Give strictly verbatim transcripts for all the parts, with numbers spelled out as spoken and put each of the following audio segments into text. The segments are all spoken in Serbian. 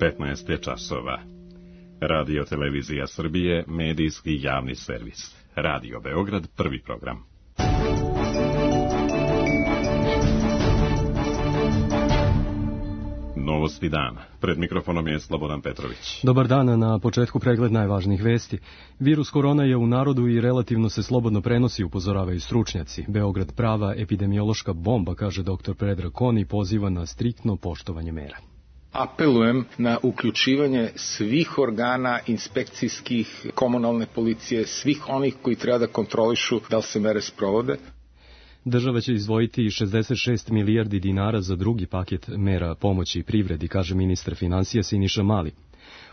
petnaest je časova. Radio Televizija Srbije, medijski javni servis. Radio Beograd, prvi program. Novosti dana. Pred mikrofonom je Slobodan Petrović. Dobar dan, na početku pregled najvažnijih vesti. Virus korona je u narodu i relativno se slobodno prenosi, upozoravaju stručnjaci. Beograd prava epidemiološka bomba, kaže doktor Predrag Kon i poziva na striktno poštovanje mera. Apelujem na uključivanje svih organa inspekcijskih, komunalne policije, svih onih koji treba da kontrolišu da li se mere sprovode. Država će izdvojiti šezdeset šest milijardi dinara za drugi paket mera pomoći privredi, kaže ministar finansija Siniša Mali.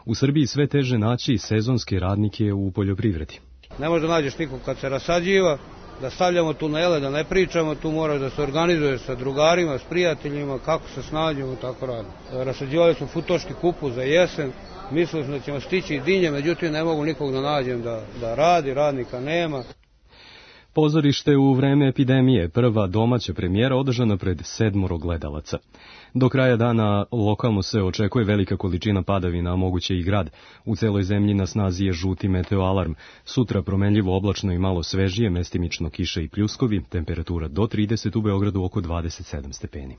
U Srbiji sve teže naći sezonske radnike u poljoprivredi. Ne može da nađeš nikog kad se rasađiva, da stavljamo tunele, da ne pričamo, tu moraš da se organizuješ sa drugarima, s prijateljima, kako se snađemo, tako radimo. Rasađivali smo futoški kupus za jesen, mislili smo da ćemo stići i dinje, međutim ne mogu nikog da nađem da, da radi, radnika nema. Pozorište u vreme epidemije, prva domaća premijera održana pred sedmoro gledalaca. Do kraja dana lokalno se očekuje velika količina padavina, a moguće i grad. U celoj zemlji na snazi je žuti meteoalarm. Sutra promenljivo oblačno i malo svežije, mestimično kiše i pljuskovi, temperatura do trideset, u Beogradu oko dvadeset sedam stepeni.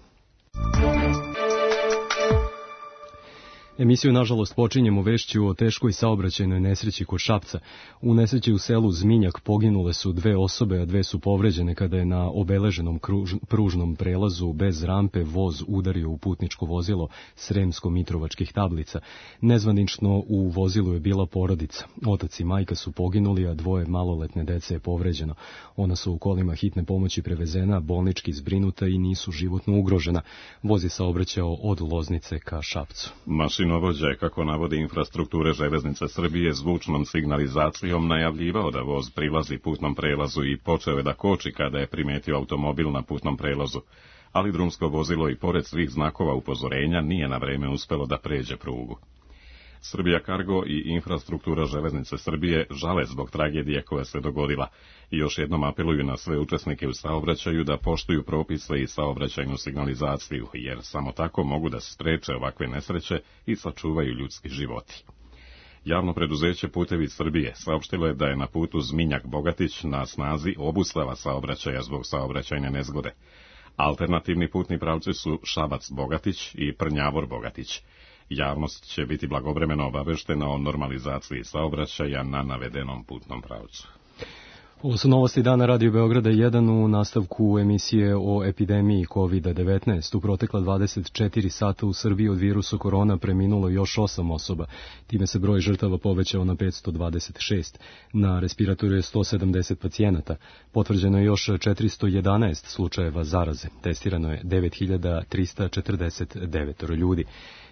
Emisiju, nažalost, počinjemo vešću o teškoj saobraćajnoj nesreći kod Šapca. U nesreći u selu Zminjak poginule su dve osobe, a dve su povređene kada je na obeleženom kruž, pružnom prelazu bez rampe voz udario u putničko vozilo Sremsko-Mitrovačkih tablica. Nezvanično u vozilu je bila porodica. Otac i majka su poginuli, a dvoje maloletne dece je povređeno. Ona su u kolima hitne pomoći prevezena, bolnički zbrinuta i nisu životno ugrožena. Voz je saobraćao od Loznice ka Šapcu. Mašinovođa je, kako navodi infrastrukture Železnice Srbije, zvučnom signalizacijom najavljivao da voz prilazi putnom prelazu i počeo je da koči kada je primetio automobil na putnom prelazu, ali drumsko vozilo i pored svih znakova upozorenja nije na vreme uspelo da pređe prugu. Srbija Kargo i infrastruktura Železnice Srbije žale zbog tragedije koja se dogodila i još jednom apeluju na sve učesnike u saobraćaju da poštuju propise i saobraćajnu signalizaciju, jer samo tako mogu da spreče ovakve nesreće i sačuvaju ljudski životi. Javno preduzeće Putevi Srbije saopštilo je da je na putu Zminjak-Bogatić na snazi obustava saobraćaja zbog saobraćajne nezgode. Alternativni putni pravci su Šabac-Bogatić i Prnjavor-Bogatić. Javnost će biti blagovremeno obaveštena o normalizaciji saobraćaja na navedenom putnom pravcu. Ovo su novosti dana Radio Beograda jedan u nastavku emisije o epidemiji kovid devetnaest. U protekla dvadeset četiri sata u Srbiji od virusa korona preminulo još osam osoba. Time se broj žrtava povećao na petsto dvadeset šest. Na respiratoru je sto sedamdeset pacijenata. Potvrđeno je još četiristo jedanaest slučajeva zaraze. Testirano je devet hiljada trista četrdeset devet ljudi.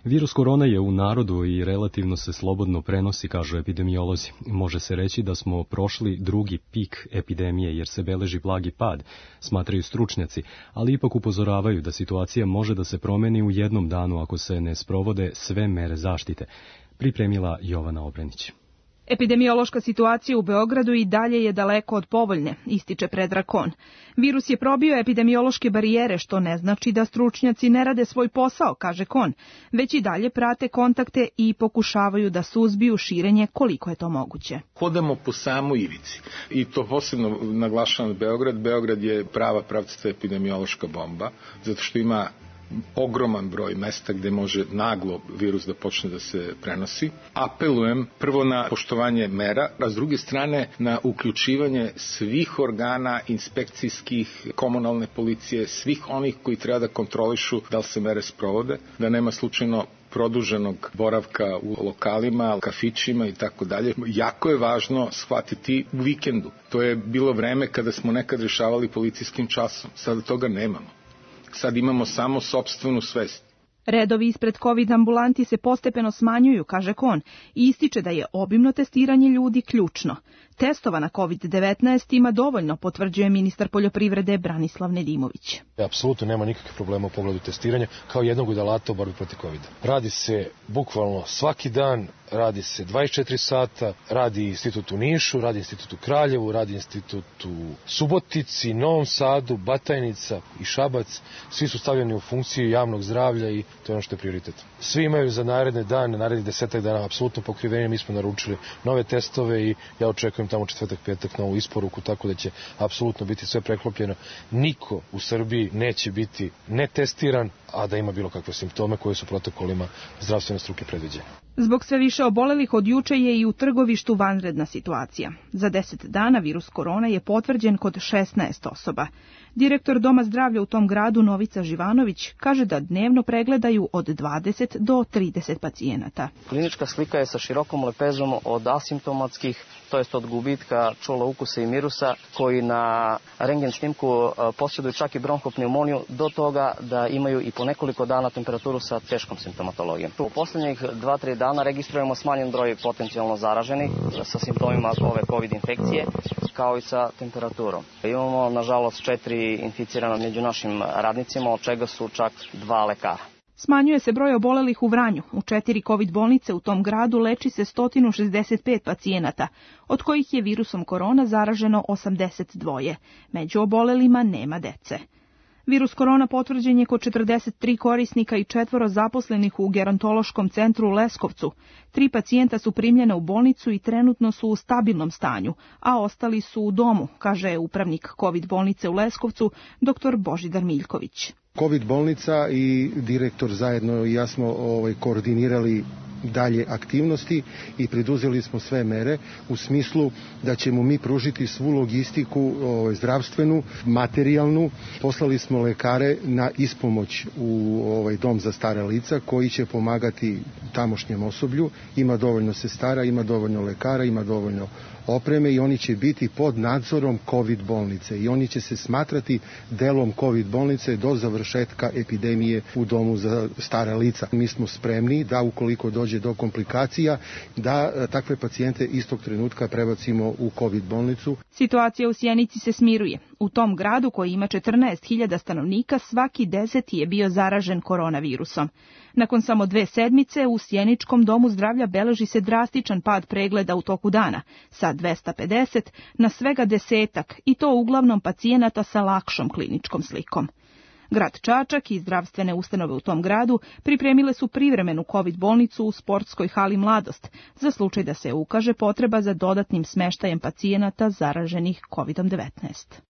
Virus korona je u narodu i relativno se slobodno prenosi, kažu epidemiolozi. Može se reći da smo prošli drugi pik epidemije jer se beleži blagi pad, smatraju stručnjaci, ali ipak upozoravaju da situacija može da se promeni u jednom danu ako se ne sprovode sve mere zaštite. Pripremila Jovana Obrenić. Epidemiološka situacija u Beogradu i dalje je daleko od povoljne, ističe Predrag Kon. Virus je probio epidemiološke barijere, što ne znači da stručnjaci ne rade svoj posao, kaže Kon, već i dalje prate kontakte i pokušavaju da suzbiju širenje koliko je to moguće. Hodamo po samoj ivici i to posebno naglašavam Beograd. Beograd je prava pravcata epidemiološka bomba, zato što ima ogroman broj mesta gde može naglo virus da počne da se prenosi. Apelujem prvo na poštovanje mera, a s druge strane na uključivanje svih organa inspekcijskih, komunalne policije, svih onih koji treba da kontrolišu da li se mere sprovode, da nema slučajno produženog boravka u lokalima, kafićima i tako dalje. Jako je važno shvatiti u vikendu. To je bilo vreme kada smo nekad rešavali policijskim časom. Sada toga nemamo. Sad imamo samo sopstvenu svest. Redovi ispred COVID ambulanti se postepeno smanjuju, kaže Kon, i ističe da je obimno testiranje ljudi ključno. Testova na kovid devetnaest ima dovoljno, potvrđuje ministar poljoprivrede Branislav Nedimović. Apsolutno nema nikakvih problema u pogledu testiranja, kao jednog od alata u borbi protiv kovida. Radi se bukvalno svaki dan radi se dvadeset četiri sata, radi institut u Nišu, radi institut u Kraljevu, radi institut u Subotici, Novom Sadu, Batajnica i Šabac. Svi su stavljeni u funkciju javnog zdravlja i to je ono što je prioritet. Svi imaju za naredne dane, narednih desetak dana apsolutno pokrivenje. Mi smo naručili nove testove i ja očekujem tamo četvrtak, petak novu isporuku, tako da će apsolutno biti sve preklopljeno. Niko u Srbiji neće biti netestiran, a da ima bilo kakve simptome koje su protokolima zdravstvene struke predviđene. Zbog sve više obolelih od juče je i u Trgovištu vanredna situacija. Za deset dana virus korona je potvrđen kod šesnaest osoba. Direktor Doma zdravlja u tom gradu Novica Živanović kaže da dnevno pregledaju od dvadeset do trideset pacijenata. Klinička slika je sa širokom lepezom od asimptomatskih, to jest od gubitka čula, ukusa i mirusa, koji na rentgen snimku posjeduju čak i bronhopneumoniju, do toga da imaju i po nekoliko dana temperaturu sa teškom simptomatologijom. U posljednjih dva do tri dana registrujemo smanjen broj potencijalno zaraženih sa simptomima ove COVID infekcije, kao i sa temperaturom. Imamo, nažalost, četiri inficirana među našim radnicima, od čega su čak dva lekara. Smanjuje se broj obolelih u Vranju. U četiri COVID bolnice u tom gradu leči se sto šezdeset pet pacijenata, od kojih je virusom korona zaraženo osamdeset dva. Među obolelima nema dece. Virus korona potvrđen je kod četrdeset tri korisnika i četvoro zaposlenih u gerontološkom centru u Leskovcu. Tri pacijenta su primljena u bolnicu i trenutno su u stabilnom stanju, a ostali su u domu, kaže upravnik COVID bolnice u Leskovcu, dr Božidar Miljković. COVID bolnica i direktor zajedno i ja smo ovaj, koordinirali dalje aktivnosti i priduzeli smo sve mere u smislu da ćemo mi pružiti svu logistiku ovaj, zdravstvenu, materijalnu. Poslali smo lekare na ispomoć u ovaj, dom za stara lica koji će pomagati tamošnjem osoblju. Ima dovoljno sestara, ima dovoljno lekara, ima dovoljno opreme i oni će biti pod nadzorom COVID bolnice i oni će se smatrati delom COVID bolnice do završetka epidemije u domu za stara lica. Mi smo spremni da ukoliko dođe do komplikacija, da takve pacijente istog trenutka prebacimo u COVID bolnicu. Situacija u Sjenici se smiruje. U tom gradu koji ima četrnaest hiljada stanovnika, svaki deseti je bio zaražen koronavirusom. Nakon samo dve sedmice u Sjeničkom domu zdravlja beleži se drastičan pad pregleda u toku dana, sa dvesta pedeset na svega desetak, i to uglavnom pacijenata sa lakšom kliničkom slikom. Grad Čačak i zdravstvene ustanove u tom gradu pripremile su privremenu COVID bolnicu u sportskoj hali Mladost, za slučaj da se ukaže potreba za dodatnim smeštajem pacijenata zaraženih kovidom devetnaest.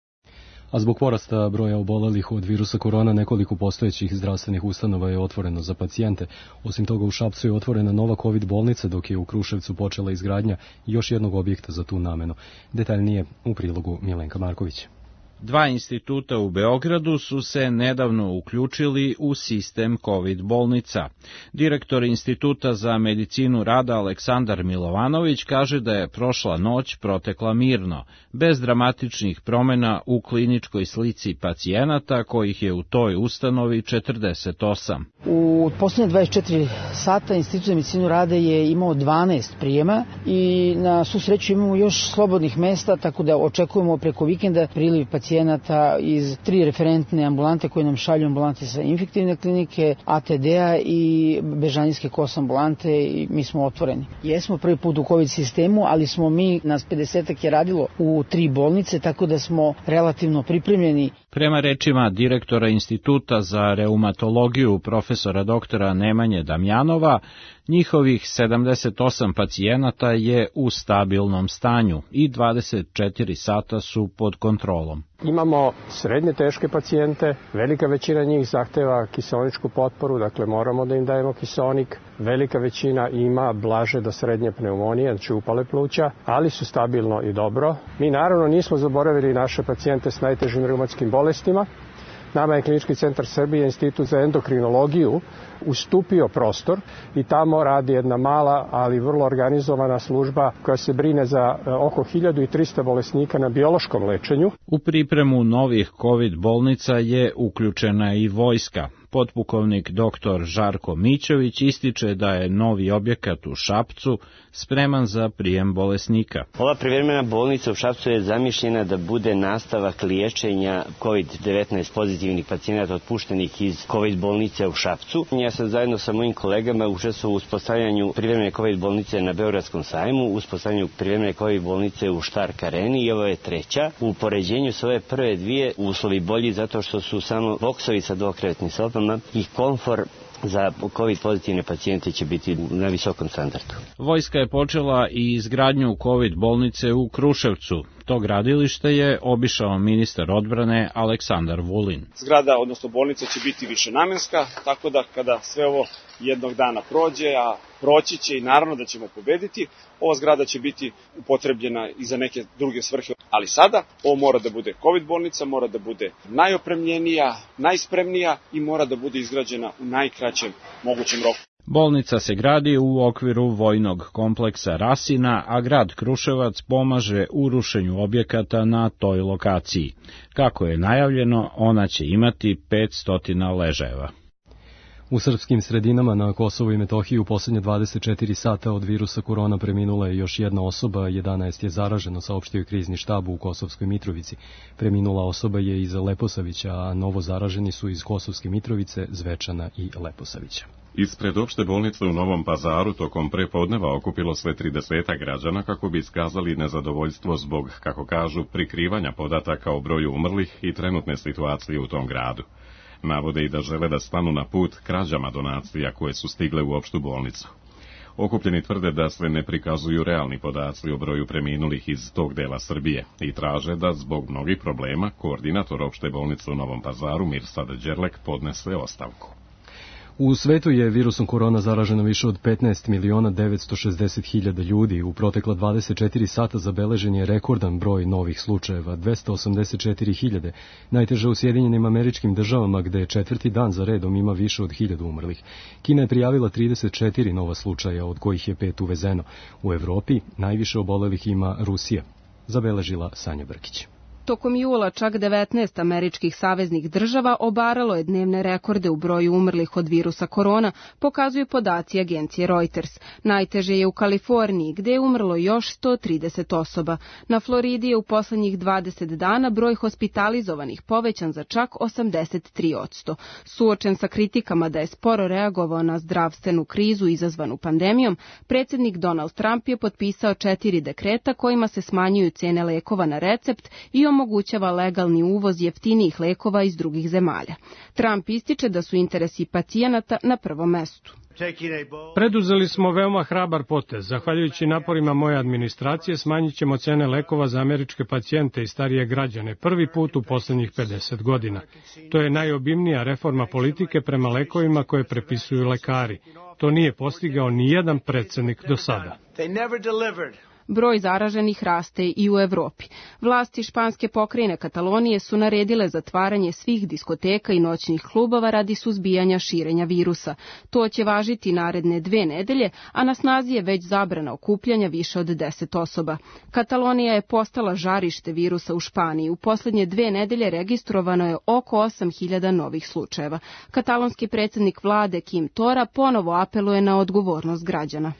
A zbog porasta broja obolelih od virusa korona, nekoliko postojećih zdravstvenih ustanova je otvoreno za pacijente. Osim toga, u Šapcu je otvorena nova COVID bolnica, dok je u Kruševcu počela izgradnja još jednog objekta za tu namenu. Detaljnije u prilogu Milenka Marković. Dva instituta u Beogradu su se nedavno uključili u sistem COVID bolnica. Direktor Instituta za medicinu rada Aleksandar Milovanović kaže da je prošla noć protekla mirno, bez dramatičnih promjena u kliničkoj slici pacijenata, kojih je u toj ustanovi četrdeset osam. U posljednje dvadeset četiri sata Institut za medicinu rada je imao dvanaest prijema i na svu sreću imamo još slobodnih mesta, tako da očekujemo preko vikenda priliv pacijenata iz tri referentne ambulante koje nam šalju ambulante sa infektivne klinike, A T D-a i Bežanijske kos ambulante i mi smo otvoreni. Jesmo prvi put u COVID sistemu, ali smo mi, nas pedesetak je radilo u tri bolnice, tako da smo relativno pripremljeni. Prema rečima direktora Instituta za reumatologiju profesora doktora Nemanje Damjanova, njihovih sedamdeset osam pacijenata je u stabilnom stanju i dvadeset četiri sata su pod kontrolom. Imamo srednje teške pacijente, velika većina njih zahteva kiseoničku potporu, dakle moramo da im dajemo kiseonik. Velika većina ima blaže do srednje pneumonije, znači upale pluća, ali su stabilno i dobro. Mi naravno nismo zaboravili naše pacijente s najtežim reumatskim bolestima. Nama je Klinički centar Srbije, Institut za endokrinologiju, ustupio prostor i tamo radi jedna mala, ali vrlo organizovana služba koja se brine za oko hiljadu trista bolesnika na biološkom lečenju. U pripremu novih COVID bolnica je uključena i vojska. Potpukovnik doktor Žarko Mićović ističe da je novi objekat u Šapcu spreman za prijem bolesnika. Ova privremena bolnica u Šapcu je zamišljena da bude nastavak liječenja kovid devetnaest pozitivnih pacijenata otpuštenih iz kovid bolnice u Šapcu. Ja sam zajedno sa mojim kolegama učestvovao u uspostavljanju privremene kovid bolnice na Beogradskom sajmu, uspostavljanju privremene kovid bolnice u Štark areni i ovo je treća. U poređenju s ove prve dvije uslovi bolji zato što su samo boksovi sa dvokrevetnim sobama i komfor za kovid pozitivne pacijente će biti na visokom standardu. Vojska je počela i izgradnju kovid bolnice u Kruševcu. To gradilište je obišao ministar odbrane Aleksandar Vulin. Zgrada, odnosno bolnica, će biti višenamenska, tako da kada sve ovo jednog dana prođe, a proći će i naravno da ćemo pobediti, ova zgrada će biti upotrebljena i za neke druge svrhe. Ali sada ovo mora da bude kovid bolnica, mora da bude najopremljenija, najspremnija i mora da bude izgrađena u najkraćem mogućem roku. Bolnica se gradi u okviru vojnog kompleksa Rasina, a grad Kruševac pomaže u rušenju objekata na toj lokaciji. Kako je najavljeno, ona će imati petsto ležajeva. U srpskim sredinama na Kosovu i Metohiji u posljednje dvadeset četiri sata od virusa korona preminula je još jedna osoba, jedanaest je zaraženo, saopštio krizni štab u Kosovskoj Mitrovici. Preminula osoba je iz Leposavića, a novo zaraženi su iz Kosovske Mitrovice, Zvečana i Leposavića. Ispred opšte bolnice u Novom Pazaru tokom prepodneva okupilo sve tridesetak građana kako bi iskazali nezadovoljstvo zbog, kako kažu, prikrivanja podataka o broju umrlih i trenutne situacije u tom gradu. Navode i da žele da stanu na put krađama donacija koje su stigle u opštu bolnicu. Okupljeni tvrde da se ne prikazuju realni podaci o broju preminulih iz tog dela Srbije i traže da zbog mnogih problema koordinator opšte bolnice u Novom Pazaru Mirsad Đerlek podnese ostavku. U svetu je virusom korona zaraženo više od petnaest miliona devetsto šezdeset hiljada ljudi. U protekla dvadeset četiri sata zabeležen je rekordan broj novih slučajeva, dvesta osamdeset četiri hiljade. Najteže u Sjedinjenim Američkim Državama, gde je četvrti dan za redom ima više od hiljadu umrlih. Kina je prijavila trideset četiri nova slučaja, od kojih je pet uvezeno. U Evropi najviše obolelih ima Rusija, zabeležila Sanja Brkić. Tokom jula čak devetnaest američkih saveznih država obaralo je dnevne rekorde u broju umrlih od virusa korona, pokazuju podaci agencije Reuters. Najteže je u Kaliforniji, gde je umrlo još sto trideset osoba. Na Floridi je u poslednjih dvadeset dana broj hospitalizovanih povećan za čak osamdeset tri posto. Suočen sa kritikama da je sporo reagovao na zdravstvenu krizu izazvanu pandemijom, predsjednik Donald Trump je potpisao četiri dekreta kojima se smanjuju cene lekova na recept i omogućava legalni uvoz jeftinijih lekova iz drugih zemalja. Trump ističe da su interesi pacijenata na prvom mestu. Preduzeli smo veoma hrabar potez. Zahvaljujući naporima moje administracije smanjit ćemo cene lekova za američke pacijente i starije građane prvi put u poslednjih pedeset godina. To je najobimnija reforma politike prema lekovima koje prepisuju lekari. To nije postigao ni jedan predsednik do sada. Broj zaraženih raste i u Evropi. Vlasti španske pokrajine Katalonije su naredile zatvaranje svih diskoteka i noćnih klubova radi suzbijanja širenja virusa. To će važiti naredne dve nedelje, a na snazi je već zabrana okupljanja više od deset osoba. Katalonija je postala žarište virusa u Španiji. U poslednje dve nedelje registrovano je oko osam hiljada novih slučajeva. Katalonski predsjednik vlade Kim Tora ponovo apeluje na odgovornost građana.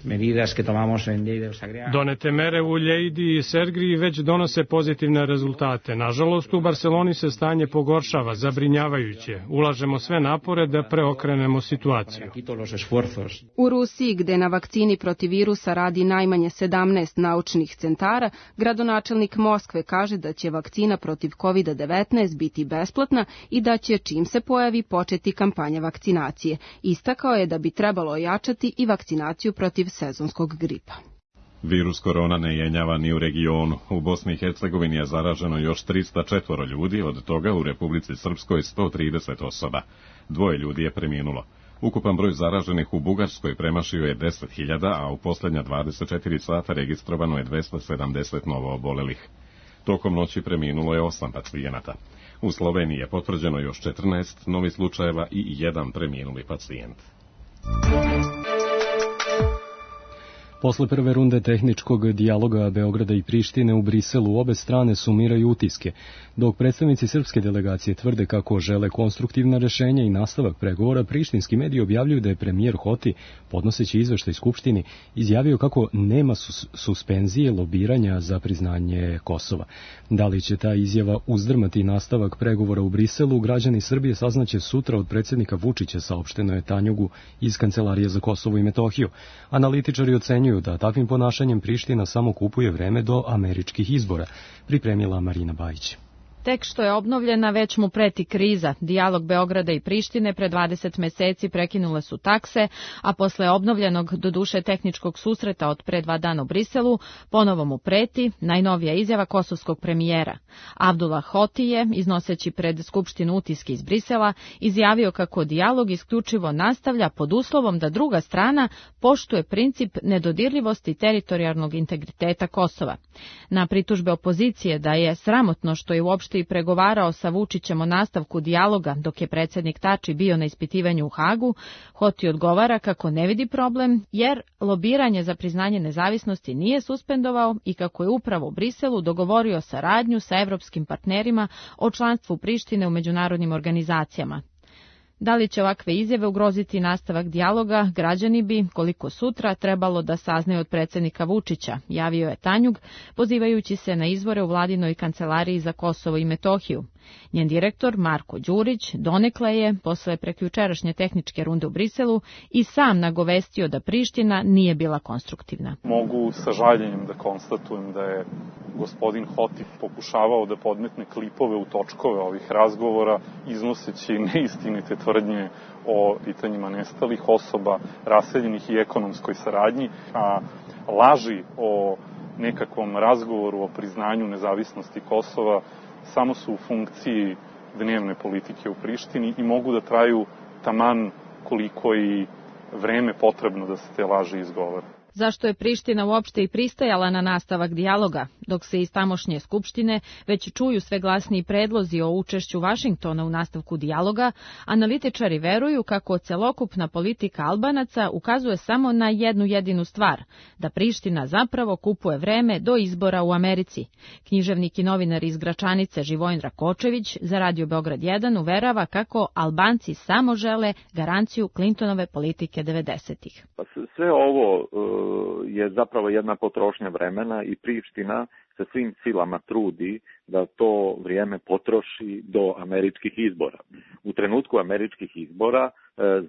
Donete mere u Lleidi i Sergriji već donose pozitivne rezultate. Nažalost, u Barceloni se stanje pogoršava, zabrinjavajuće. Ulažemo sve napore da preokrenemo situaciju. U Rusiji, gde na vakcini protiv virusa radi najmanje sedamnaest naučnih centara, gradonačelnik Moskve kaže da će vakcina protiv kovid devetnaest biti besplatna i da će, čim se pojavi, početi kampanja vakcinacije. Istakao je da bi trebalo ojačati i vakcinaciju protiv sezonskog gripa. Virus korona ne jenjava ni u regionu. U Bosni i Hercegovini je zaraženo još trista četvoro ljudi, od toga u Republici Srpskoj sto trideset osoba. Dvoje ljudi je preminulo. Ukupan broj zaraženih u Bugarskoj premašio je deset hiljada, a u posljednja dvadeset četiri sata registrovano je dvesta sedamdeset novo obolelih. Tokom noći preminulo je osam pacijenata. U Sloveniji je potvrđeno još četrnaest novih slučajeva i jedan preminuli pacijent. Posle prve runde tehničkog dijaloga Beograda i Prištine u Briselu obe strane sumiraju utiske, dok predstavnici srpske delegacije tvrde kako žele konstruktivna rešenja i nastavak pregovora. Prištinski mediji objavljuju da je premijer Hoti, podnoseći izveštaj Skupštini, izjavio kako nema sus suspenzije lobiranja za priznanje Kosova. Da li će ta izjava uzdrmati nastavak pregovora u Briselu, građani Srbije saznaće sutra od predsjednika Vučića, saopšteno je Tanjugu iz Kancelarije za Kosovo i Metohiju. Analitičari ocenjuju da takvim ponašanjem Priština samo kupuje vreme do američkih izbora, pripremila Marina Bajić. Tek što je obnovljena, već mu preti kriza. Dijalog Beograda i Prištine pre dvadeset meseci prekinule su takse, a posle obnovljenog, doduše tehničkog susreta od pre dva dana u Briselu, ponovo mu preti najnovija izjava kosovskog premijera. Abdullah Hoti je, iznoseći pred Skupštinu utiske iz Brisela, izjavio kako dijalog isključivo nastavlja pod uslovom da druga strana poštuje princip nedodirljivosti teritorijalnog integriteta Kosova. Na pritužbe opozicije da je sramotno što je uopšte i pregovarao sa Vučićem o nastavku dijaloga dok je predsjednik Tači bio na ispitivanju u Hagu, Hoti odgovara kako ne vidi problem jer lobiranje za priznanje nezavisnosti nije suspendovao i kako je upravo u Briselu dogovorio saradnju sa evropskim partnerima o članstvu Prištine u međunarodnim organizacijama. Da li će ovakve izjave ugroziti nastavak dijaloga, građani bi, koliko sutra, trebalo da saznaju od predsjednika Vučića, javio je Tanjug, pozivajući se na izvore u vladinoj kancelariji za Kosovo i Metohiju. Njen direktor, Marko Đurić, donekle je, posle prekjučerašnje tehničke runde u Briselu, i sam nagovestio da Priština nije bila konstruktivna. Mogu sa žaljenjem da konstatujem da je gospodin Hoti pokušavao da podmetne klipove u točkove ovih razgovora, iznoseći neistinite tvrdnje o pitanjima nestalih osoba, raseljenih i ekonomskoj saradnji, a laži o nekakvom razgovoru o priznanju nezavisnosti Kosova samo su u funkciji dnevne politike u Prištini i mogu da traju taman koliko i vreme potrebno da se te laži izgovore. Zašto je Priština uopšte i pristajala na nastavak dijaloga, dok se iz tamošnje skupštine već čuju sve glasniji predlozi o učešću Vašingtona u nastavku dijaloga, analitičari veruju kako celokupna politika Albanaca ukazuje samo na jednu jedinu stvar, da Priština zapravo kupuje vreme do izbora u Americi. Književnik i novinar iz Gračanice Živojin Rakočević za Radio Beograd jedan uverava kako Albanci samo žele garanciju Clintonove politike devedesetih. Sve ovo je zapravo jedna potrošnja vremena i Priština se svim silama trudi da to vrijeme potroši do američkih izbora. U trenutku američkih izbora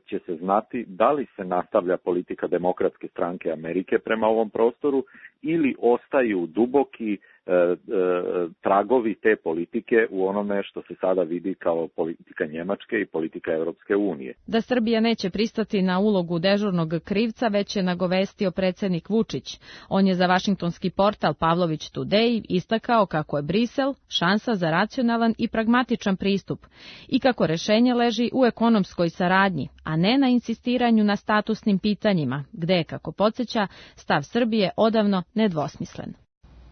će se znati da li se nastavlja politika Demokratske stranke Amerike prema ovom prostoru ili ostaju duboki e, e, tragovi te politike u onome što se sada vidi kao politika Njemačke i politika Europske unije. Da Srbija neće pristati na ulogu dežurnog krivca, već je nagovestio predsjednik Vučić. On je za vašingtonski portal Pavlović Today istakao kako je Brisel šansa za racionalan i pragmatičan pristup i kako rešenje leži u ekonomskoj saradnji, a ne na insistiranju na statusnim pitanjima, gde je, kako podsjeća, stav Srbije odavno nedvosmislen.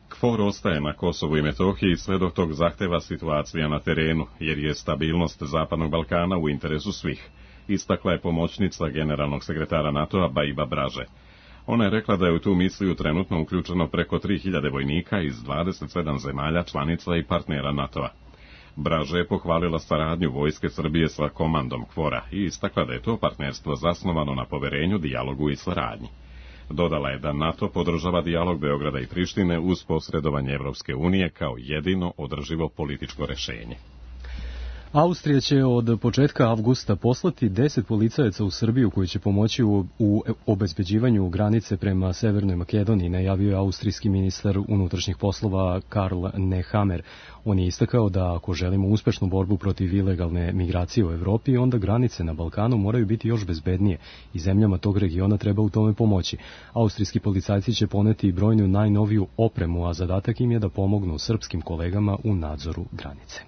KFOR ostaje na Kosovu i Metohiji sve dok tog zahteva situacija na terenu, jer je stabilnost Zapadnog Balkana u interesu svih, istakla je pomoćnica generalnog sekretara NATO-a Baiba Braže. Ona je rekla da je u tu misiju trenutno uključeno preko tri hiljade vojnika iz dvadeset sedam zemalja članica i partnera NATO-a. Braže je pohvalila saradnju vojske Srbije sa komandom KFOR-a i istakla da je to partnerstvo zasnovano na poverenju, dijalogu i saradnji. Dodala je da NATO podržava dijalog Beograda i Prištine uz posredovanje Evropske unije kao jedino održivo političko rešenje. Austrija će od početka avgusta poslati deset policajaca u Srbiju koji će pomoći u, u obezbeđivanju granice prema Severnoj Makedoniji, najavio je austrijski ministar unutrašnjih poslova Karl Nehammer. On je istakao da ako želimo uspešnu borbu protiv ilegalne migracije u Evropi, onda granice na Balkanu moraju biti još bezbednije i zemljama tog regiona treba u tome pomoći. Austrijski policajci će poneti brojnu najnoviju opremu, a zadatak im je da pomognu srpskim kolegama u nadzoru granice.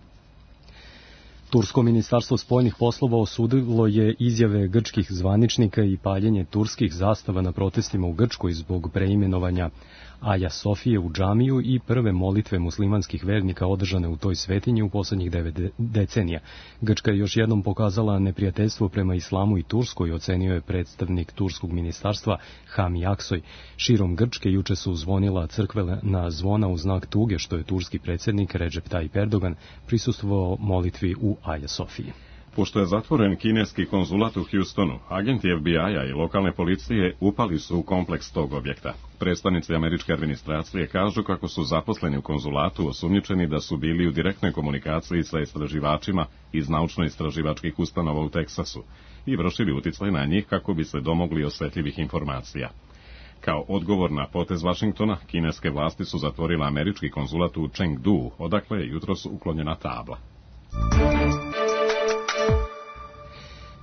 Tursko ministarstvo spoljnih poslova osudilo je izjave grčkih zvaničnika i paljenje turskih zastava na protestima u Grčkoj zbog preimenovanja Aja Sofije u džamiju i prve molitve muslimanskih vernika održane u toj svetinji u poslednjih devet decenija. Grčka je još jednom pokazala neprijateljstvo prema islamu i Turskoj, ocenio je predstavnik turskog ministarstva Hami Aksoj. Širom Grčke juče su zvonila crkvena zvona u znak tuge što je turski predsjednik Recep Tayyip Erdogan prisustvovao molitvi u Aja Sofiji. Pošto je zatvoren kineski konzulat u Houstonu, agenti F B I-a i lokalne policije upali su u kompleks tog objekta. Predstavnici američke administracije kažu kako su zaposleni u konzulatu osumnjičeni da su bili u direktnoj komunikaciji sa istraživačima iz naučno-istraživačkih ustanova u Teksasu i vršili uticaj na njih kako bi se domogli osetljivih informacija. Kao odgovor na potez Vašingtona, kineske vlasti su zatvorile američki konzulat u Chengdu, odakle je jutros uklonjena tabla.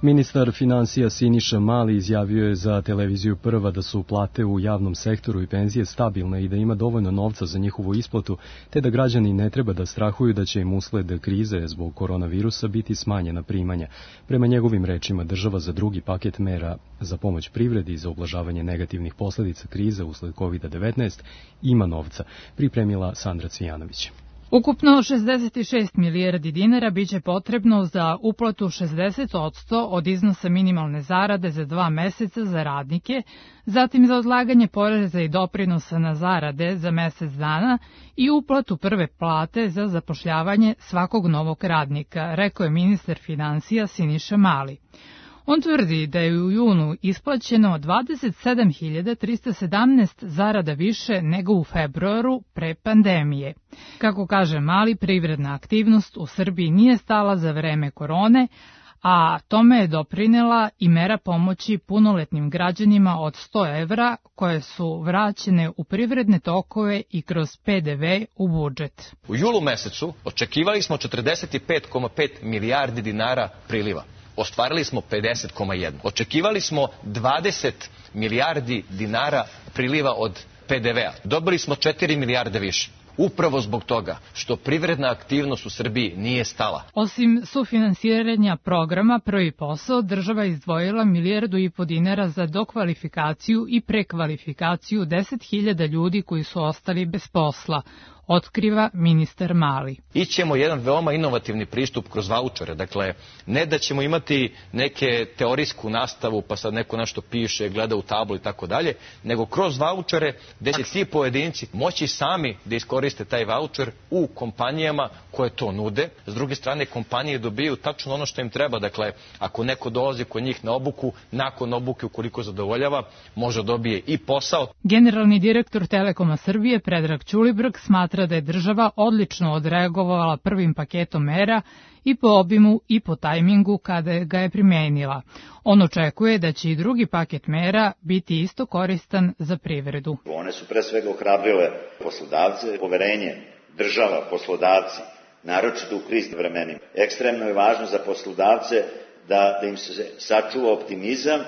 Ministar finansija Siniša Mali izjavio je za televiziju Prva da su plate u javnom sektoru i penzije stabilne i da ima dovoljno novca za njihovu isplatu, te da građani ne treba da strahuju da će im usled krize zbog koronavirusa biti smanjena primanja. Prema njegovim rečima, država za drugi paket mera za pomoć privredi i za ublažavanje negativnih posledica krize usled kovid devetnaest ima novca, pripremila Sandra Cvijanović. Ukupno šezdeset šest milijardi dinara biće potrebno za uplatu šezdeset posto od iznosa minimalne zarade za dva meseca za radnike, zatim za odlaganje poreza i doprinosa na zarade za mesec dana i uplatu prve plate za zapošljavanje svakog novog radnika, rekao je ministar finansija Siniša Mali. On tvrdi da je u junu isplaćeno dvadeset sedam hiljada trista sedamnaest zarada više nego u februaru pre pandemije. Kako kaže Mali, privredna aktivnost u Srbiji nije stala za vreme korone, a tome je doprinela i mera pomoći punoletnim građanima od sto evra koje su vraćene u privredne tokove i kroz P D V u budžet. U julu mesecu očekivali smo četrdeset pet zarez pet milijardi dinara priliva. Ostvarili smo pedeset zarez jedan. Očekivali smo dvadeset milijardi dinara priliva od P D V-a. Dobili smo četiri milijarde više. Upravo zbog toga što privredna aktivnost u Srbiji nije stala. Osim sufinansiranja programa Prvi posao, država je izdvojila milijardu i po dinara za dokvalifikaciju i prekvalifikaciju deset hiljada ljudi koji su ostali bez posla, otkriva ministar Mali. Ićemo jedan veoma inovativni pristup kroz vaučere. Dakle, ne da ćemo imati neke teorijsku nastavu pa sad neko nešto piše, gleda u tablu i tako dalje, nego kroz vaučere gde će ti pojedinci moći sami da iskoriste taj vaučer u kompanijama koje to nude. S druge strane, kompanije dobiju tačno ono što im treba. Dakle, ako neko dolazi kod njih na obuku, nakon obuke ukoliko zadovoljava, može dobije i posao. Generalni direktor Telekoma Srbije Predrag Ćulibrk smatra da je država odlično odreagovala prvim paketom mera i po obimu i po tajmingu kada ga je primenila. On očekuje da će i drugi paket mera biti isto koristan za privredu. One su pre svega ohrabrile poslodavce, poverenje država, poslodavci, naročito u kriznim vremenima. Ekstremno je važno za poslodavce da, da im se sačuva optimizam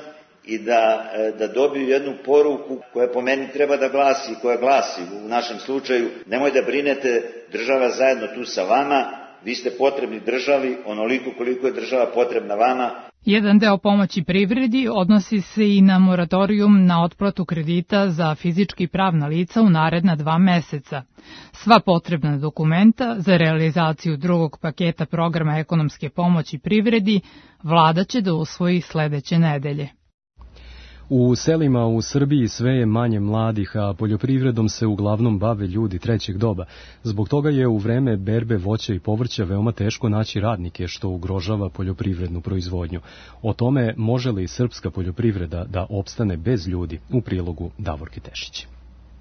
i da, da dobiju jednu poruku koja po meni treba da glasi, koja glasi u našem slučaju: nemoj da brinete, država zajedno tu sa vama, vi ste potrebni državi onoliko koliko je država potrebna vama. Jedan deo pomoći privredi odnosi se i na moratorijum na otplatu kredita za fizički i pravna lica u naredna dva meseca. Sva potrebna dokumenta za realizaciju drugog paketa programa ekonomske pomoći privredi vlada će da usvoji sledeće nedelje. U selima u Srbiji sve je manje mladih, a poljoprivredom se uglavnom bave ljudi trećeg doba. Zbog toga je u vreme berbe voća i povrća veoma teško naći radnike, što ugrožava poljoprivrednu proizvodnju. O tome može li srpska poljoprivreda da opstane bez ljudi, u prilogu Davorke Tešić.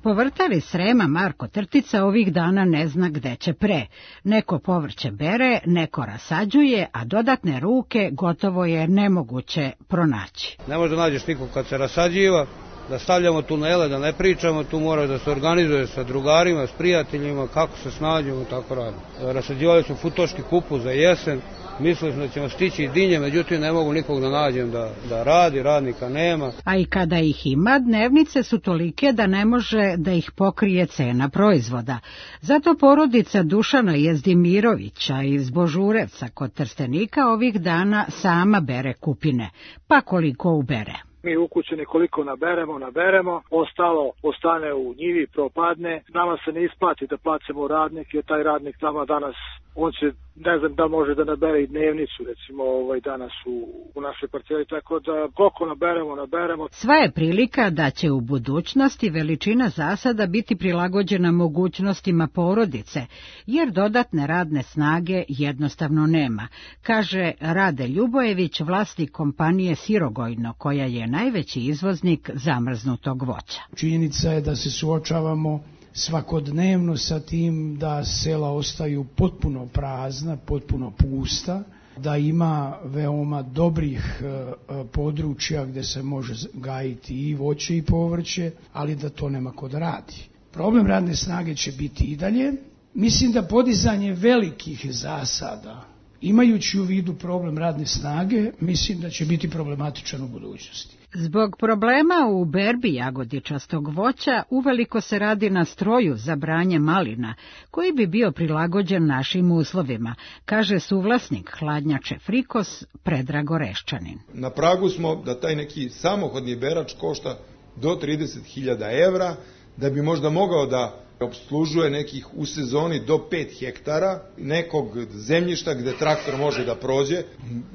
Povrtari Srema Marko Trtica ovih dana ne zna gde će pre. Neko povrće bere, neko rasađuje, a dodatne ruke gotovo je nemoguće pronaći. Ne može da nađeš nikog kad se rasađiva, da stavljamo tunele, da ne pričamo, tu mora da se organizuje sa drugarima, s prijateljima, kako se snađemo i tako radi. Rasađivali smo futoški kupus za jesen, mislili smo da ćemo stići i dinje, međutim ne mogu nikog da nađem da, da radi, radnika nema. A i kada ih ima, dnevnice su tolike da ne može da ih pokrije cena proizvoda. Zato porodica Dušana Jezdimirovića iz Božurevca kod Trstenika ovih dana sama bere kupine, pa koliko ubere. Mi ukućeni koliko naberemo, naberemo, ostalo ostane u njivi, propadne. Nama se ne isplati da placimo radnike, taj radnik tamo danas, on će, ne znam da može da nabere i dnevnicu, recimo ovaj danas u, u našoj parceli, tako da koliko naberemo, naberemo. Sva je prilika da će u budućnosti veličina zasada biti prilagođena mogućnostima porodice, jer dodatne radne snage jednostavno nema, kaže Rade Ljubojević, vlasnik kompanije Sirogojno, koja je najveći izvoznik zamrznutog voća. Činjenica je da se suočavamo svakodnevno sa tim da sela ostaju potpuno prazna, potpuno pusta, da ima veoma dobrih e, područja gde se može gajiti i voće i povrće, ali da to nema ko da radi. Problem radne snage će biti i dalje. Mislim da podizanje velikih zasada, imajući u vidu problem radne snage, mislim da će biti problematičan u budućnosti. Zbog problema u berbi jagodičastog voća uveliko se radi na stroju za branje malina, koji bi bio prilagođen našim uslovima, kaže suvlasnik hladnjače Frikos Predrag Oreščanin. Na pragu smo da taj neki samohodni berač košta do trideset hiljada evra, da bi možda mogao da opslužuje nekih u sezoni do pet hektara nekog zemljišta gde traktor može da prođe,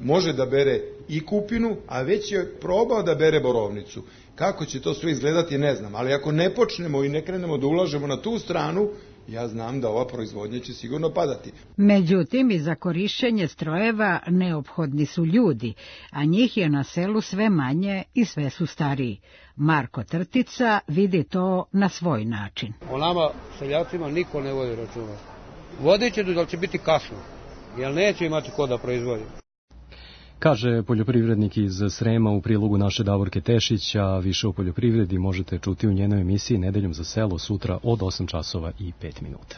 može da bere i kupinu, a već je probao da bere borovnicu. Kako će to sve izgledati ne znam, ali ako ne počnemo i ne krenemo da ulažemo na tu stranu, ja znam da ova proizvodnja će sigurno padati. Međutim, i za korišćenje strojeva neophodni su ljudi, a njih je na selu sve manje i sve su stariji. Marko Trtica vidi to na svoj način. O nama, seljacima, niko ne vodi računa. Vodit će, da će biti kasno, jer neće imati ko da proizvodi. Kaže poljoprivrednik iz Srema u prilogu naše Davorke Tešić, a više o poljoprivredi možete čuti u njenoj emisiji Nedeljom za selo sutra od osam časova i pet minuta.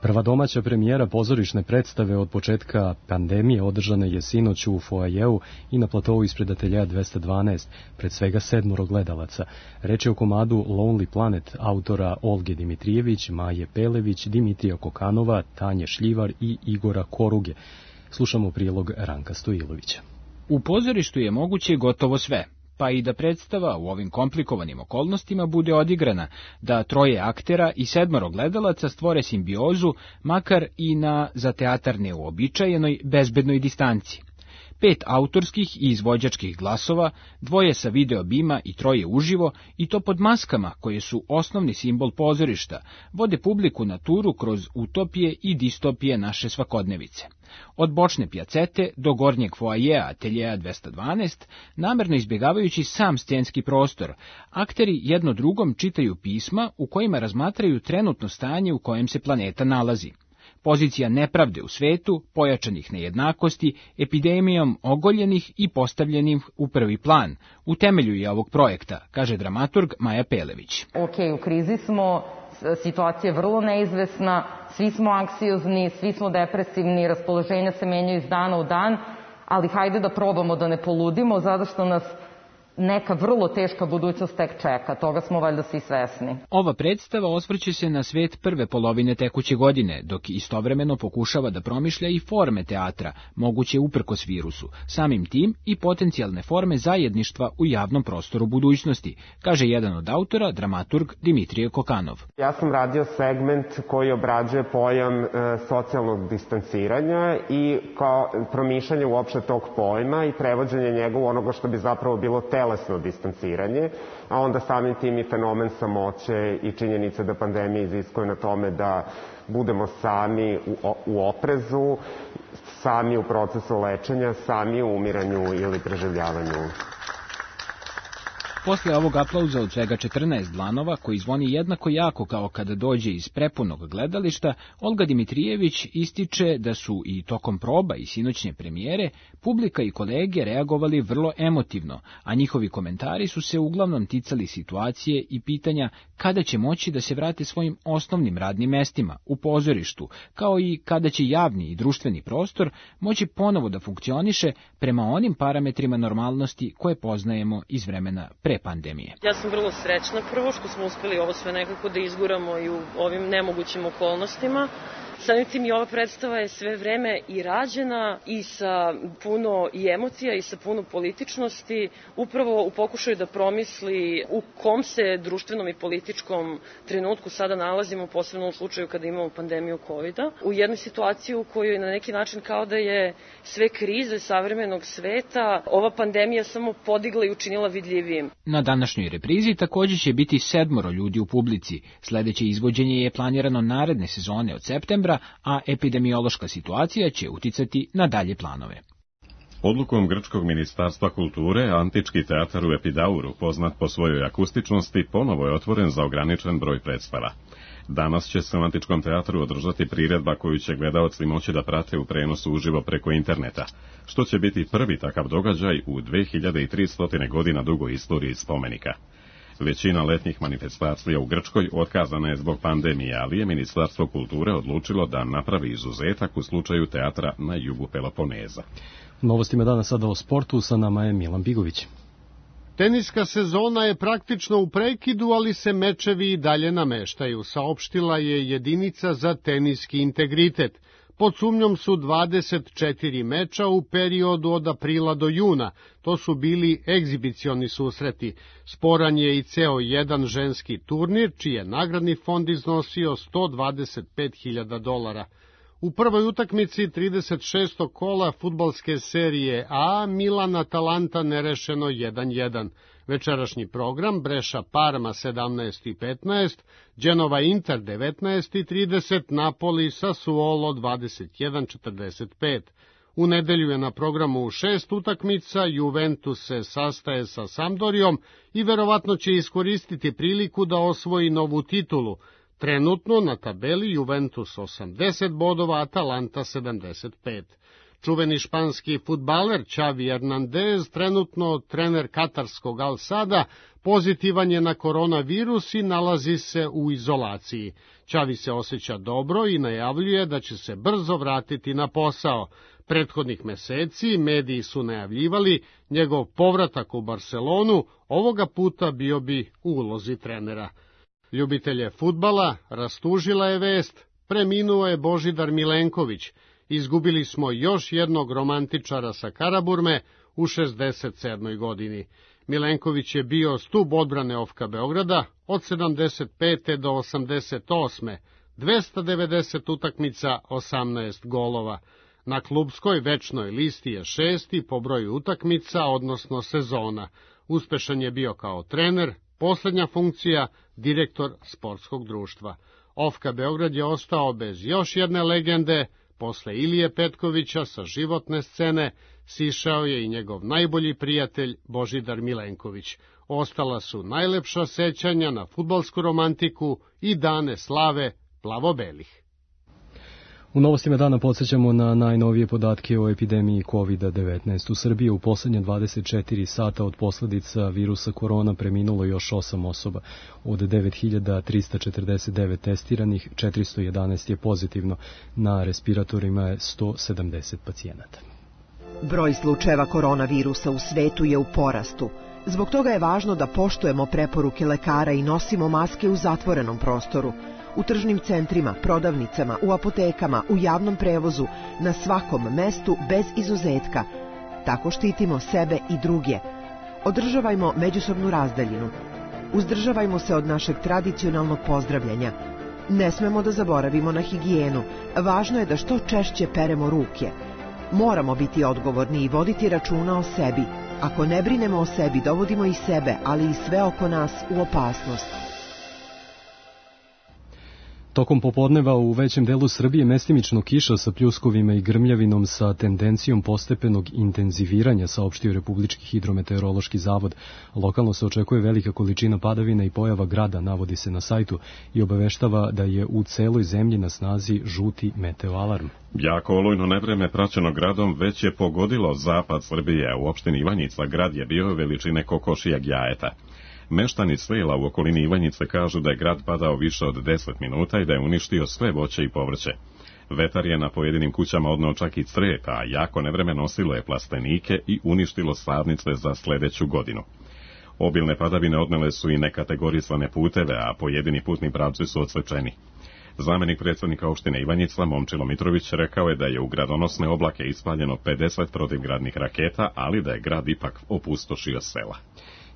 Prva domaća premijera pozorišne predstave od početka pandemije održana je sinoć u foajeu i na platovu ispred ateljeja dvesta dvanaest, pred svega sedmoro gledalaca. Reč je o komadu Lonely Planet autora Olge Dimitrijević, Maje Pelević, Dimitrija Kokanova, Tanje Šljivar i Igora Koruge. Slušamo prilog Ranka Stojilovića. U pozorištu je moguće gotovo sve, pa i da predstava u ovim komplikovanim okolnostima bude odigrana, da troje aktera i sedmoro gledalaca stvore simbiozu, makar i na za teatar neuobičajenoj, bezbednoj distanci. Pet autorskih i izvođačkih glasova, dvoje sa video bima i troje uživo, i to pod maskama koje su osnovni simbol pozorišta, vode publiku na turu kroz utopije i distopije naše svakodnevice. Od bočne pjacete do gornjeg foajeja ateljeja dvesta dvanaest, namerno izbjegavajući sam scenski prostor, akteri jedno drugom čitaju pisma u kojima razmatraju trenutno stanje u kojem se planeta nalazi. Pozicija nepravde u svetu, pojačanih nejednakosti, epidemijom ogoljenih i postavljenih u prvi plan, u temelju je ovog projekta, kaže dramaturg Maja Pelević. Ok, u krizi smo, situacija je vrlo neizvesna, svi smo anksiozni, svi smo depresivni, raspoloženja se menjaju iz dana u dan, ali hajde da probamo da ne poludimo, zato što nas neka vrlo teška budućnost tek čeka, toga smo valjda svi svesni. Ova predstava osvrće se na svet prve polovine tekuće godine, dok istovremeno pokušava da promišlja i forme teatra, moguće uprkos virusu, samim tim i potencijalne forme zajedništva u javnom prostoru budućnosti, kaže jedan od autora, dramaturg Dimitrije Kokanov. Ja sam radio segment koji obrađuje pojam e, socijalnog distanciranja i kao promišljanje uopšte tog pojma i prevođenje njega u onoga što bi zapravo bilo telesno distanciranje, a onda samim tim i fenomen samoće i činjenica da pandemija iziskuje na tome da budemo sami u, u oprezu, sami u procesu lečenja, sami u umiranju ili preživljavanju. Posle ovog aplauza od svega četrnaest dlanova, koji zvoni jednako jako kao kada dođe iz prepunog gledališta, Olga Dimitrijević ističe da su i tokom proba i sinoćnje premijere publika i kolege reagovali vrlo emotivno, a njihovi komentari su se uglavnom ticali situacije i pitanja kada će moći da se vrate svojim osnovnim radnim mestima, u pozorištu, kao i kada će javni i društveni prostor moći ponovo da funkcioniše prema onim parametrima normalnosti koje poznajemo iz vremena pre pandemije. Ja sam vrlo srećna prvo što smo uspeli ovo sve nekako da izguramo i u ovim nemogućim okolnostima. Samim tim i ova predstava je sve vreme i rađena i sa puno i emocija i sa puno političnosti, upravo u pokušaju da promisli u kom se društvenom i političkom trenutku sada nalazimo, posebno u slučaju kada imamo pandemiju kovida, u jednoj situaciji u kojoj je na neki način kao da je sve krize savremenog sveta ova pandemija samo podigla i učinila vidljivijim. Na današnjoj reprizi također će biti sedmoro ljudi u publici. Sledeće izvođenje je planirano naredne sezone od septembra, a epidemiološka situacija će uticati na dalje planove. Odlukom Grčkog ministarstva kulture, Antički teatar u Epidauru, poznat po svojoj akustičnosti, ponovo je otvoren za ograničen broj predstava. Danas će se u Antičkom teatru održati priredba koju će gledaoci moći da prate u prenosu uživo preko interneta, što će biti prvi takav događaj u dve hiljade tristo godina dugoj istoriji spomenika. Većina letnjih manifestacija u Grčkoj otkazana je zbog pandemije, ali je Ministarstvo kulture odlučilo da napravi izuzetak u slučaju teatra na jugu Peloponeza. Novostima dana sada o sportu, sa nama je Milan Bigović. Teniska sezona je praktično u prekidu, ali se mečevi i dalje nameštaju, saopštila je jedinica za teniski integritet. Pod sumnjom su dvadeset četiri meča u periodu od aprila do juna. To su bili egzibicioni susreti. Sporan je i ceo jedan ženski turnir, čiji je nagradni fond iznosio sto dvadeset pet hiljada dolara. U prvoj utakmici trideset šestog kola fudbalske serije A Milan-Atalanta nerešeno jedan jedan. Večerašnji program Breša-Parma sedamnaest i petnaest, Genova-Inter devetnaest i trideset, Napoli-Sassuolo dvadeset jedan četrdeset pet. U nedelju je na programu šest utakmica, Juventus se sastaje sa Sampdorijom i verovatno će iskoristiti priliku da osvoji novu titulu. Trenutno na tabeli Juventus osamdeset bodova, Atalanta sedamdeset pet. Čuveni španski fudbaler Xavi Hernandez, trenutno trener katarskog Al Sada, pozitivan je na koronavirus i nalazi se u izolaciji. Xavi se osjeća dobro i najavljuje da će se brzo vratiti na posao. Prethodnih meseci mediji su najavljivali njegov povratak u Barcelonu, ovoga puta bio bi u ulozi trenera. Ljubitelje fudbala rastužila je vest, preminuo je Božidar Milenković. Izgubili smo još jednog romantičara sa Karaburme u šezdeset sedmoj godini. Milenković je bio stub odbrane O F K-a Beograda od sedamdeset pete do osamdeset osme, dvesta devedeset utakmica, osamnaest golova. Na klubskoj večnoj listi je šesti po broju utakmica, odnosno sezona. Uspešan je bio kao trener, poslednja funkcija, direktor sportskog društva. O F K Beograd je ostao bez još jedne legende. Posle Ilije Petkovića sa životne scene sišao je i njegov najbolji prijatelj Božidar Milenković. Ostala su najlepša sećanja na fudbalsku romantiku i dane slave plavo-belih. U novostima dana podsjećamo na najnovije podatke o epidemiji kovid devetnaest. U Srbiji u poslednje dvadeset četiri sata od posledica virusa korona preminulo još osam osoba. Od devet hiljada trista četrdeset devet testiranih, četiristo jedanaest je pozitivno. Na respiratorima je sto sedamdeset pacijenata. Broj slučajeva koronavirusa u svetu je u porastu. Zbog toga je važno da poštujemo preporuke lekara i nosimo maske u zatvorenom prostoru. U tržnim centrima, prodavnicama, u apotekama, u javnom prevozu, na svakom mestu bez izuzetka. Tako štitimo sebe i druge. Održavajmo međusobnu razdaljinu. Uzdržavajmo se od našeg tradicionalnog pozdravljanja. Ne smemo da zaboravimo na higijenu. Važno je da što češće peremo ruke. Moramo biti odgovorni i voditi računa o sebi. Ako ne brinemo o sebi, dovodimo i sebe, ali i sve oko nas u opasnost. Tokom popodneva u većem delu Srbije mestimično kiša sa pljuskovima i grmljavinom sa tendencijom postepenog intenziviranja, saopštio Republički hidrometeorološki zavod. Lokalno se očekuje velika količina padavina i pojava grada, navodi se na sajtu, i obaveštava da je u celoj zemlji na snazi žuti meteoalarm. Jako olujno nevreme praćeno gradom već je pogodilo zapad Srbije. U opštini Ivanjica grad je bio veličine kokošijeg jajeta. Meštani sela u okolini Ivanjice kažu da je grad padao više od deset minuta i da je uništio sve voće i povrće. Vetar je na pojedinim kućama odneo čak i cret, a jako nevreme nosilo je plastenike i uništilo sadnice za sledeću godinu. Obilne padavine odnele su i nekategorisane puteve, a pojedini putni pravci su odsečeni. Zamenik predsjednika opštine Ivanjica Momčilo Mitrović rekao je da je u gradonosne oblake ispaljeno pedeset protivgradnih raketa, ali da je grad ipak opustošio sela.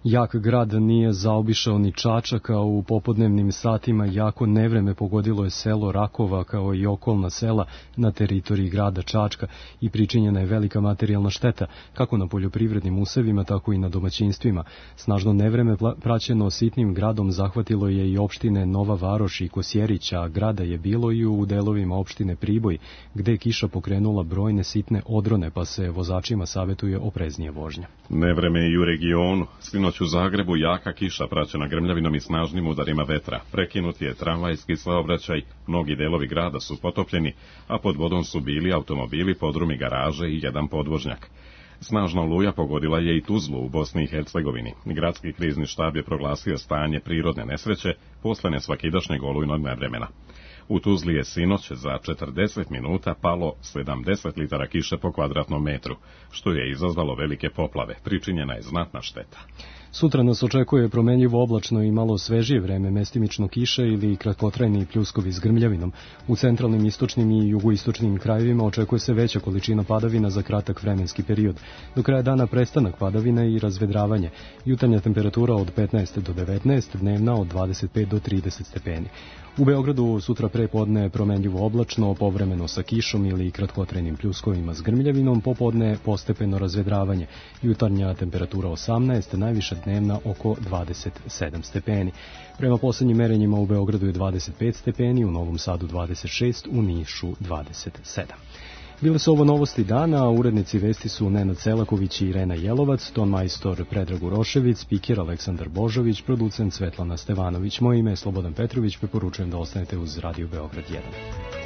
Jak grad nije zaobišao ni Čačak, a u popodnevnim satima jako nevreme pogodilo je selo Rakova kao i okolna sela na teritoriji grada Čačka i pričinjena je velika materijalna šteta, kako na poljoprivrednim usevima, tako i na domaćinstvima. Snažno nevreme praćeno sitnim gradom zahvatilo je i opštine Nova Varoš i Kosjerić, a grada je bilo i u delovima opštine Priboj, gde je kiša pokrenula brojne sitne odrone, pa se vozačima savetuje opreznije vožnja. Nevreme i u regionu. Sinoć u Zagrebu jaka kiša praćena grmljavinom i snažnim udarima vetra. Prekinut je tramvajski saobraćaj, mnogi delovi grada su potopljeni, a pod vodom su bili automobili, podrumi, garaže i jedan podvožnjak. Snažna oluja pogodila je i Tuzlu u Bosni i Hercegovini. Gradski krizni štab je proglasio stanje prirodne nesreće posle nesvakidašnjeg olujnog nevremena. U Tuzli je sinoć za četrdeset minuta palo sedamdeset litara kiše po kvadratnom metru, što je izazvalo velike poplave. Pričinjena je znatna šteta. Sutra nas očekuje promenljivo oblačno i malo svežije vreme, mestimično kiše ili kratkotrajni pljuskovi s grmljavinom. U centralnim, istočnim i jugoistočnim krajevima očekuje se veća količina padavina za kratak vremenski period. Do kraja dana prestanak padavina i razvedravanje. Jutarnja temperatura od petnaest do devetnaest, dnevna od dvadeset pet do trideset stepeni. U Beogradu sutra pre podne promenljivo oblačno, povremeno sa kišom ili kratkotrajnim pljuskovima s grmljavinom, popodne postepeno razvedravanje. Jutarnja temperatura osamnaest, najviša dnevna oko dvadeset sedam stepeni. Prema poslednjim merenjima u Beogradu je dvadeset pet stepeni, u Novom Sadu dvadeset šest, u Nišu dvadeset sedam. Bile su ovo novosti dana, a urednici vesti su Nenad Selaković i Irena Jelovac, ton majstor Predrag Urošević, spiker Aleksandar Božović, producent Svetlana Stevanović. Moje ime je Slobodan Petrović, preporučujem da ostanete uz Radio Beograd jedan.